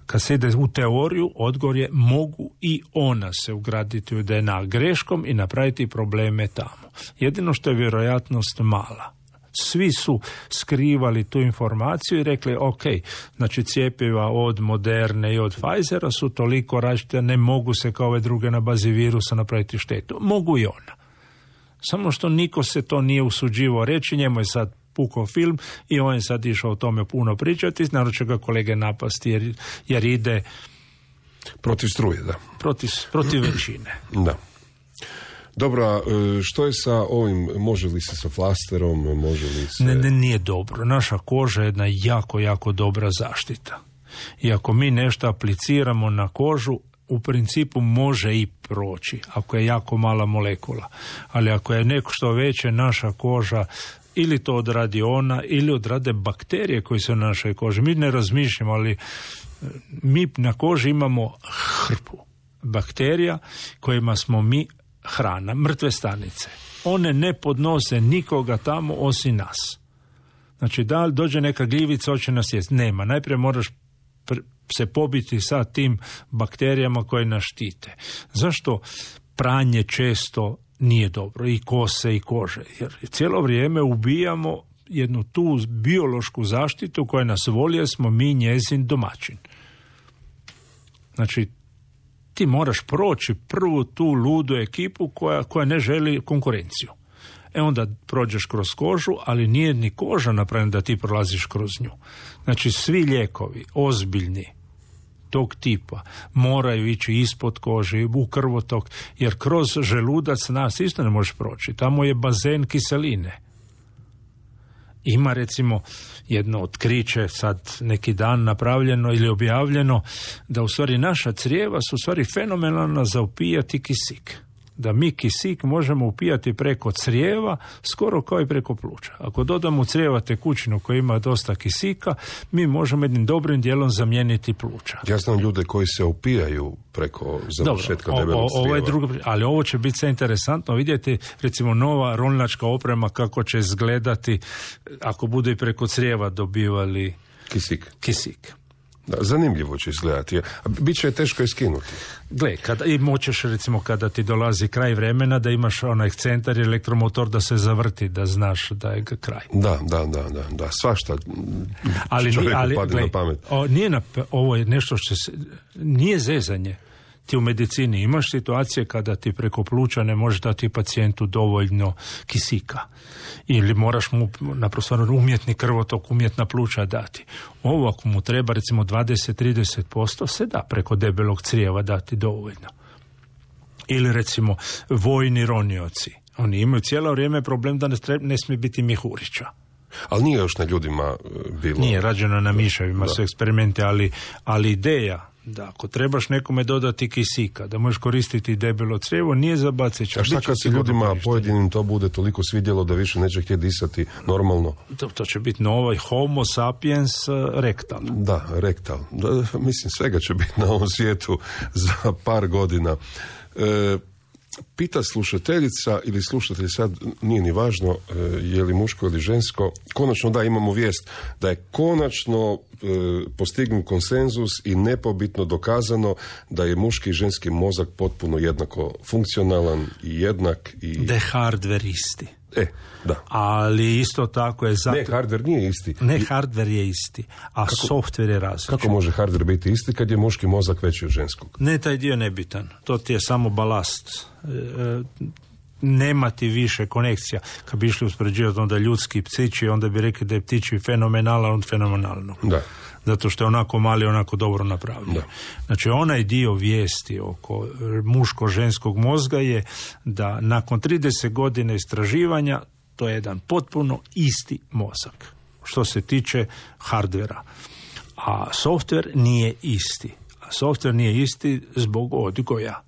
Speaker 5: kad se ide u teoriju, odgovor je mogu i ona se ugraditi u DNA greškom i napraviti probleme tamo. Jedino što je vjerojatnost mala. Svi su skrivali tu informaciju i rekli ok, znači cjepiva od Moderne i od Pfizera su toliko različite, ne mogu se kao ove druge na bazi virusa napraviti štetu. Mogu i ona. Samo što niko se to nije usuđivao reći, njemu je sad pukao film i on je sad išao o tome puno pričati, naravno će ga kolege napasti jer ide
Speaker 4: protiv struje, da.
Speaker 5: Protiv većine.
Speaker 4: Da. Dobro, što je sa ovim, može li se sa flasterom, može li se...
Speaker 5: Ne, nije dobro. Naša koža je jedna jako, jako dobra zaštita. I ako mi nešto apliciramo na kožu, u principu može i proći, ako je jako mala molekula. Ali ako je neko što veće, naša koža ili to odradi ona, ili odrade bakterije koje su na našoj koži. Mi ne razmišljamo, ali mi na koži imamo hrpu bakterija kojima smo mi hrana, mrtve stanice. One ne podnose nikoga tamo osim nas. Znači, da li dođe neka gljivica, hoće nas jesti? Nema. Najprije moraš se pobiti sa tim bakterijama koje nas štite. Zašto pranje često nije dobro? I kose i kože. Jer cijelo vrijeme ubijamo jednu tu biološku zaštitu koja nas voli, jer smo mi njezin domaćin. Znači, ti moraš proći prvu tu ludu ekipu koja ne želi konkurenciju. Onda prođeš kroz kožu, ali nije ni koža napravljena da ti prolaziš kroz nju. Znači, svi lijekovi, ozbiljni, tog tipa, moraju ići ispod kože, u krvotok, jer kroz želudac nas isto ne možeš proći. Tamo je bazen kiseline. Ima, recimo, jedno otkriće sad neki dan napravljeno ili objavljeno da u stvari naša crijeva su u stvari fenomenalna za upijati kisik. Da mi kisik možemo upijati preko crijeva skoro kao i preko pluća. Ako dodamo u crijeva tekućinu koja ima dosta kisika, mi možemo jednim dobrim dijelom zamijeniti pluća.
Speaker 4: Ja znam ljude koji se upijaju preko završetka debelog crijeva.
Speaker 5: Ali ovo će biti sve interesantno vidjeti, recimo nova ronilačka oprema kako će izgledati ako budu i preko crijeva dobivali kisik.
Speaker 4: Da, zanimljivo će izgledati. Biće je teško je skinuti.
Speaker 5: Gle, i moćeš recimo kada ti dolazi kraj vremena da imaš onaj centar i elektromotor da se zavrti, da znaš da je kraj. Da, svašta čovjeku padne na pamet. Ovo je nešto što nije zezanje. Ti u medicini imaš situacije kada ti preko pluća ne možeš dati pacijentu dovoljno kisika. Ili moraš mu naprosto umjetni krvotok, umjetna pluća dati. Ovo ako mu treba recimo 20-30% se da preko debelog crijeva dati dovoljno. Ili recimo vojni ronioci. Oni imaju cijelo vrijeme problem da ne smije biti mihurića.
Speaker 4: Ali nije još na ljudima bilo...
Speaker 5: Nije rađeno na miševima, su eksperimente, ali ideja da ako trebaš nekome dodati kisika, da možeš koristiti debelo crijevo, nije za baciti.
Speaker 4: A šta kad se ljudima pojedinim to bude toliko svidjelo da više neće htjeti disati normalno?
Speaker 5: To će biti novi homo sapiens rektal.
Speaker 4: Da, rektal. Mislim, svega će biti na ovom svijetu za par godina. Pita slušateljica ili slušatelj, sad nije ni važno je li muško ili žensko, konačno da imamo vijest da je konačno postignut konsenzus i nepobitno dokazano da je muški i ženski mozak potpuno jednako funkcionalan i jednak i...
Speaker 5: Da je hardware isti.
Speaker 4: Da.
Speaker 5: Ali isto tako je...
Speaker 4: Ne, hardware nije isti.
Speaker 5: Ne, hardware je isti, a software je različit.
Speaker 4: Kako može hardware biti isti kad je muški mozak veći od ženskog?
Speaker 5: Ne, taj dio nebitan. To ti je samo balast. Nema ti više konekcija. Kad bi išli uspoređivati onda ljudski ptići, onda bi rekli da je ptići fenomenalan od fenomenalnog.
Speaker 4: Da.
Speaker 5: zato što je onako mali, onako dobro napravljen. Znači, onaj dio vijesti oko muško-ženskog mozga je da nakon 30 godina istraživanja to je jedan potpuno isti mozak što se tiče hardvera. A softver nije isti. A softver nije isti zbog odgoja.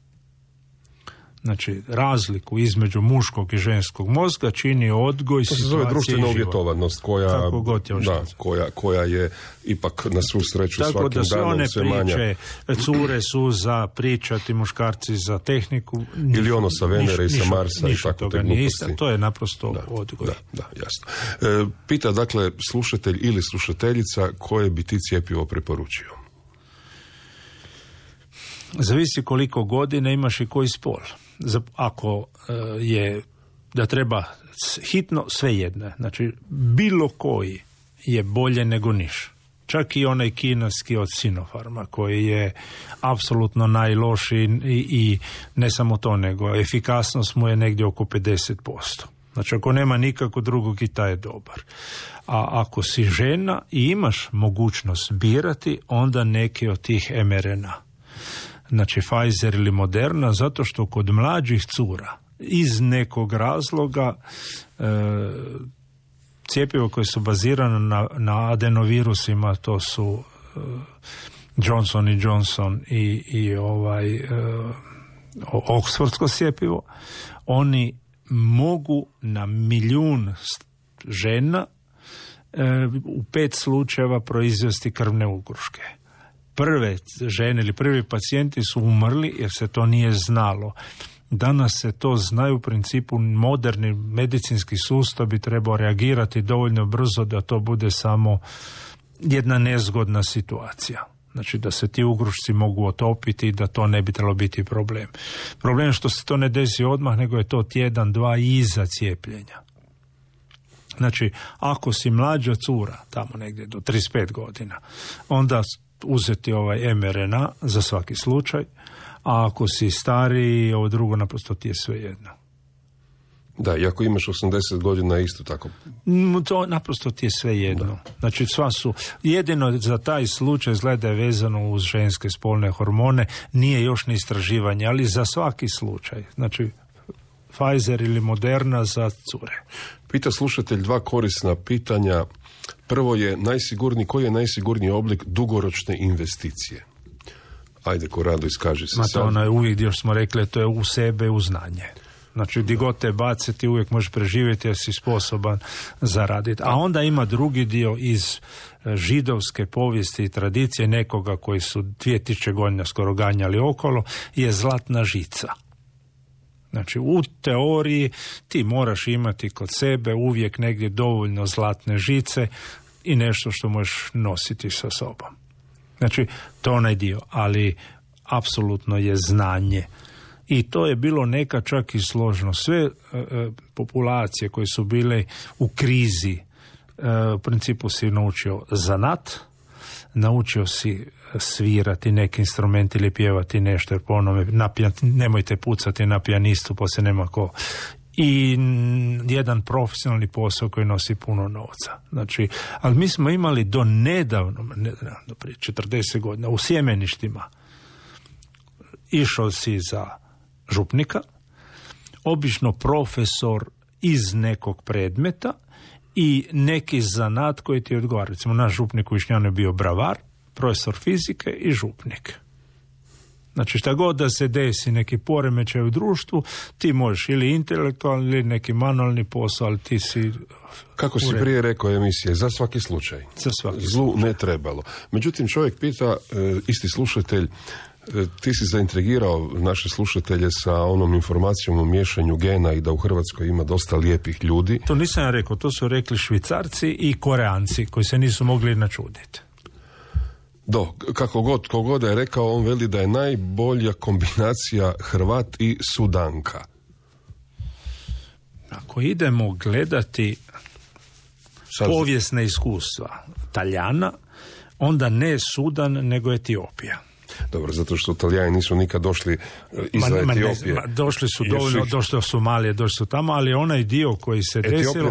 Speaker 5: Znači, razliku između muškog i ženskog mozga čini odgoj, situacije i život. To se zove društvena uvjetovanost
Speaker 4: koja je ipak na svu sreću
Speaker 5: tako
Speaker 4: svakim danom sve manja.
Speaker 5: Tako da sve one priče, cure su za pričati, muškarci za tehniku.
Speaker 4: Ili ono sa Venere i sa Marsa i tako te gluposti.
Speaker 5: To je naprosto odgoj.
Speaker 4: Da, jasno. Pita dakle slušatelj ili slušateljica koje bi ti cjepivo preporučio?
Speaker 5: Zavisi koliko godina imaš i koji spol. Ako je da treba hitno, svejedno. Znači, bilo koji je bolje nego niš. Čak i onaj kineski od Sinopharma koji je apsolutno najlošiji i ne samo to, nego efikasnost mu je negdje oko 50%. Znači, ako nema nikako drugog i taj je dobar. A ako si žena i imaš mogućnost birati, onda neki od tih mRNA. Znači Pfizer ili Moderna, zato što kod mlađih cura iz nekog razloga cjepivo koje su bazirane na adenovirusima, to su Johnson & Johnson i Oxfordsko cjepivo, oni mogu na 1 milijun žena u 5 slučajeva proizvesti krvne ugruške. Prve žene ili prvi pacijenti su umrli jer se to nije znalo. Danas se to zna, u principu moderni medicinski sustav bi trebao reagirati dovoljno brzo da to bude samo jedna nezgodna situacija. Znači da se ti ugrušci mogu otopiti i da to ne bi trebalo biti problem. Problem je što se to ne desi odmah, nego je to tjedan, dva iza cijepljenja. Znači, ako si mlađa cura, tamo negdje do 35 godina, onda uzeti ovaj mRNA za svaki slučaj, a ako si stariji, ovo drugo naprosto ti je svejedno.
Speaker 4: Da, i ako imaš 80 godina isto tako.
Speaker 5: To naprosto ti je svejedno. Znači, sva su, jedino za taj slučaj izgleda je vezano uz ženske spolne hormone, nije još ni istraživanje, ali za svaki slučaj. Znači, Pfizer ili Moderna za cure.
Speaker 4: Pita slušatelj 2 korisna pitanja. Prvo je koji je najsigurniji oblik dugoročne investicije? Ajde, ko rado iskaži se.
Speaker 5: To ono je uvijek dio što smo rekli, to je u sebe, u znanje. Znači, di god te bace, ti uvijek možeš preživjeti jer si sposoban zaraditi. A onda ima drugi dio iz židovske povijesti i tradicije nekoga koji su 2000 godina skoro ganjali okolo, je zlatna žica. Znači, u teoriji ti moraš imati kod sebe uvijek negdje dovoljno zlatne žice i nešto što možeš nositi sa sobom. Znači, to je onaj dio, ali apsolutno je znanje. I to je bilo neka čak i složno. Sve populacije koje su bile u krizi, u principu si naučio zanat, naučio si svirati neki instrument ili pjevati nešto, jer po onome nemojte pucati na pijanistu, poslije nema ko. I jedan profesionalni posao koji nosi puno novca. Znači, ali mi smo imali do nedavno, do prije 40 godina, u sjemeništima išao si za župnika, obično profesor iz nekog predmeta i neki zanat koji ti odgovara. Recimo, naš župnik u Višnjanu je bio bravar, profesor fizike i župnik. Znači, šta god da se desi neki poremećaj u društvu, ti možeš ili intelektualni ili neki manualni posao, ali ti si...
Speaker 4: Kako si prije rekao emisije, za svaki slučaj.
Speaker 5: Za svaki
Speaker 4: Zlu
Speaker 5: slučaj.
Speaker 4: Ne trebalo. Međutim, čovjek pita, isti slušatelj, ti si zaintrigirao naše slušatelje sa onom informacijom o miješanju gena i da u Hrvatskoj ima dosta lijepih ljudi.
Speaker 5: To nisam ja rekao, to su rekli Švicarci i Koreanci koji se nisu mogli načuditi.
Speaker 4: Kako god je rekao, on veli da je najbolja kombinacija Hrvat i Sudanka.
Speaker 5: Ako idemo gledati povijesne iskustva Taljana, onda ne Sudan, nego Etiopija.
Speaker 4: Dobro, zato što Talijani nisu nikad došli iz Etiopije.
Speaker 5: Došli su dovoljno, došli do Somalije, došli su tamo, ali onaj dio koji se desilo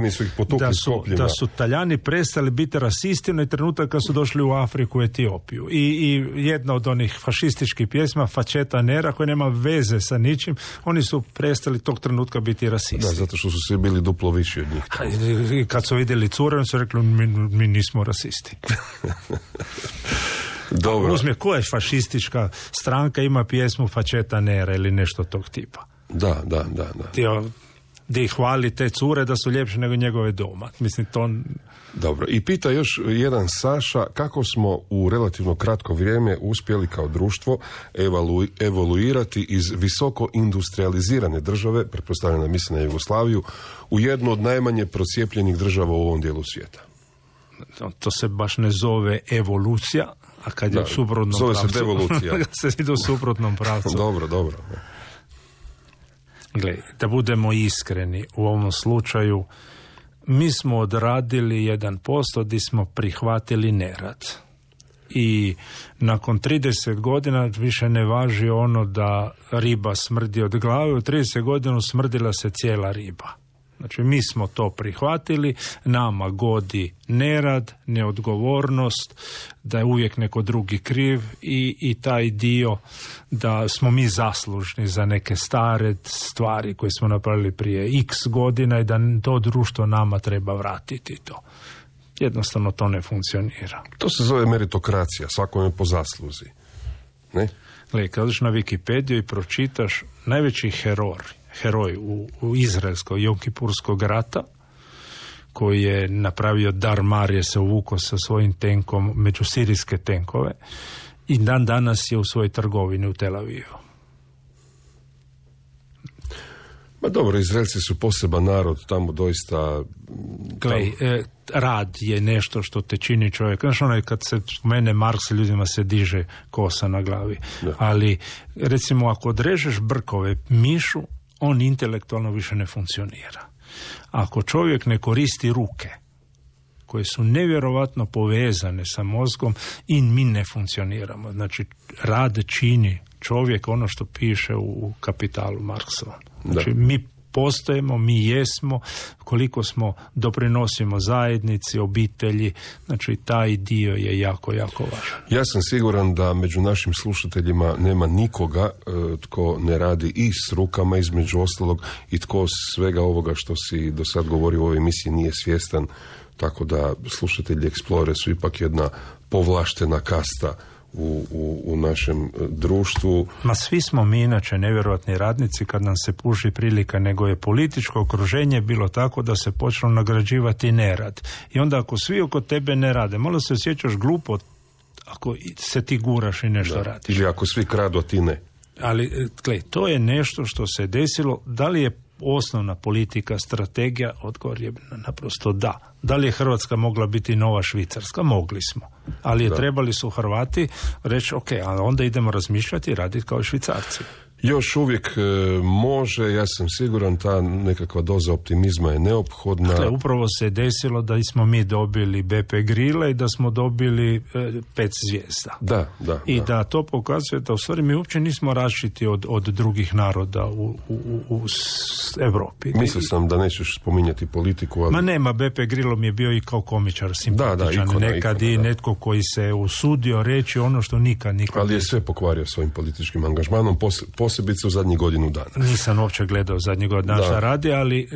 Speaker 5: da su Talijani prestali biti rasisti na trenutak kad su došli u Afriku, Etiopiju. I jedna od onih fašističkih pjesma, Faceta Nera, koja nema veze sa ničim, oni su prestali tog trenutka biti rasisti.
Speaker 4: Da, zato što su svi bili duplo viši od njih.
Speaker 5: I kad su vidjeli cure, oni su rekli, mi nismo rasisti.
Speaker 4: Dobro.
Speaker 5: Uzme, koja je fašistička stranka ima pjesmu Faceta Nera ili nešto tog tipa?
Speaker 4: Da.
Speaker 5: Gdje hvali te cure da su ljepše nego njegove doma. Mislim, to...
Speaker 4: Dobro, i pita još jedan Saša, kako smo u relativno kratko vrijeme uspjeli kao društvo evoluirati iz visoko industrializirane države, pretpostavljam da misli na Jugoslaviju, u jednu od najmanje procijepljenih država u ovom dijelu svijeta.
Speaker 5: To se baš ne zove evolucija, a kad je u suprotnom
Speaker 4: zove
Speaker 5: pravcu...
Speaker 4: se devolucija.
Speaker 5: se ide u suprotnom pravcu.
Speaker 4: Dobro.
Speaker 5: Gle, da budemo iskreni, u ovom slučaju mi smo odradili 1% gdje smo prihvatili nerad. I nakon 30 godina više ne važi ono da riba smrdi od glave, u 30 godina smrdila se cijela riba. Znači, mi smo to prihvatili, nama godi nerad, neodgovornost, da je uvijek neko drugi kriv i taj dio da smo mi zaslužni za neke stare stvari koje smo napravili prije x godina i da to društvo nama treba vratiti to. Jednostavno to ne funkcionira.
Speaker 4: To se zove meritokracija, svakome po zasluzi. Ne?
Speaker 5: Gle, kad odeš na Wikipediju i pročitaš najveći heroj u izraelskog Jom-Kipurskog rata, koji je napravio dar Marije, se uvukao sa svojim tenkom među sirijske tenkove i dan danas je u svojoj trgovini u Tel Avivu.
Speaker 4: Ma dobro, Izraelci su poseban narod, tamo doista...
Speaker 5: Glej, rad je nešto što te čini čovjek. Znaš, onaj kad se mene Marks, ljudima se diže kosa na glavi. Da. Ali, recimo, ako odrežeš brkove mišu, on intelektualno više ne funkcionira. Ako čovjek ne koristi ruke, koje su nevjerovatno povezane sa mozgom, i mi ne funkcioniramo. Znači, rad čini čovjek, ono što piše u Kapitalu Marksova. Znači, mi postojimo, mi jesmo, koliko smo doprinosimo zajednici, obitelji, znači taj dio je jako, jako važan.
Speaker 4: Ja sam siguran da među našim slušateljima nema nikoga tko ne radi i s rukama, između ostalog, i tko svega ovoga što si do sad govorio u ovoj emisiji nije svjestan, tako da slušatelji Explore su ipak jedna povlaštena kasta u našem društvu.
Speaker 5: Ma svi smo mi inače nevjerojatni radnici kad nam se puši prilika, nego je političko okruženje bilo tako da se počelo nagrađivati nerad. I onda ako svi oko tebe ne rade, malo se osjećaš glupo ako se ti guraš i nešto radiš.
Speaker 4: Ili ako svi kradu, a ti ne.
Speaker 5: Ali, gled, to je nešto što se desilo. Da li je osnovna politika, strategija? Odgovor je naprosto da. Da li je Hrvatska mogla biti nova Švicarska? Mogli smo. Ali trebali su Hrvati reći, ok, a onda idemo razmišljati i raditi kao Švicarci.
Speaker 4: Još uvijek može, ja sam siguran, ta nekakva doza optimizma je neophodna.
Speaker 5: Dakle, upravo se desilo da smo mi dobili BP Grille i da smo dobili 5 zvijezda. Da to pokazuje da u stvari mi uopće nismo različiti od drugih naroda u Europi.
Speaker 4: Mislio sam da nećeš spominjati politiku, ali...
Speaker 5: Ma nema, BP Grillo mi je bio i kao komičar simpatičan. Nekad i netko koji se usudio reći ono što nikad.
Speaker 4: Ali je sve pokvario svojim političkim angažmanom, posebice u zadnjih godinu dana.
Speaker 5: Nisam uopće gledao zadnjih godinu dana šta radi, ali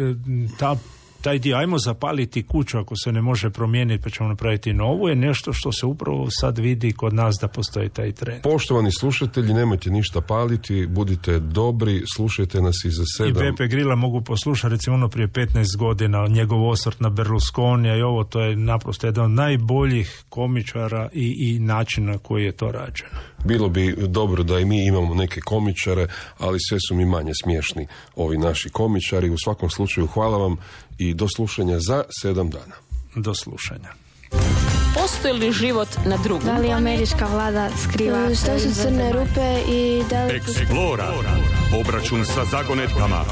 Speaker 5: taj dio, ajmo zapaliti kuću ako se ne može promijeniti pa ćemo napraviti novu, je nešto što se upravo sad vidi kod nas da postoji taj trend.
Speaker 4: Poštovani slušatelji, nemojte ništa paliti, budite dobri, slušajte nas i za 7.
Speaker 5: I BP Grilla mogu poslušati, recimo ono prije 15 godina, njegov osvrt na Berlusconija i ovo, to je naprosto jedan od najboljih komičara i načina koji je to rađeno.
Speaker 4: Bilo bi dobro da i mi imamo neke komičare, ali sve su mi manje smiješni ovi naši komičari. U svakom slučaju hvala vam i do slušanja za 7 dana.
Speaker 5: Do slušanja.
Speaker 1: Postoji li život na drugom?
Speaker 2: Da li američka vlada skriva? Što su crne rupe i da li...
Speaker 3: Explora. Obračun sa zagonetkama.